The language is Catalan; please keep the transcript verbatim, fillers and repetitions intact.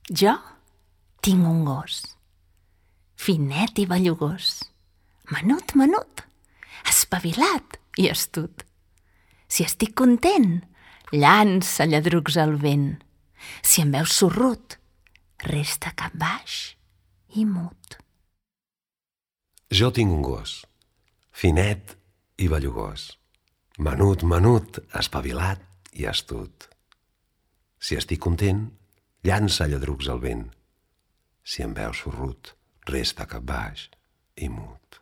Jo tinc un gos, finet i bellugós, menut, menut, espavilat i astut. Si estic content, llança lladrucs al vent. Si em veus sorrut, resta cap baix i mut. Jo tinc un gos, finet i bellugós, menut, menut, espavilat i astut. Si estic content, llança lladrucs al vent. Si em veus sorrut, resta cap baix i mut.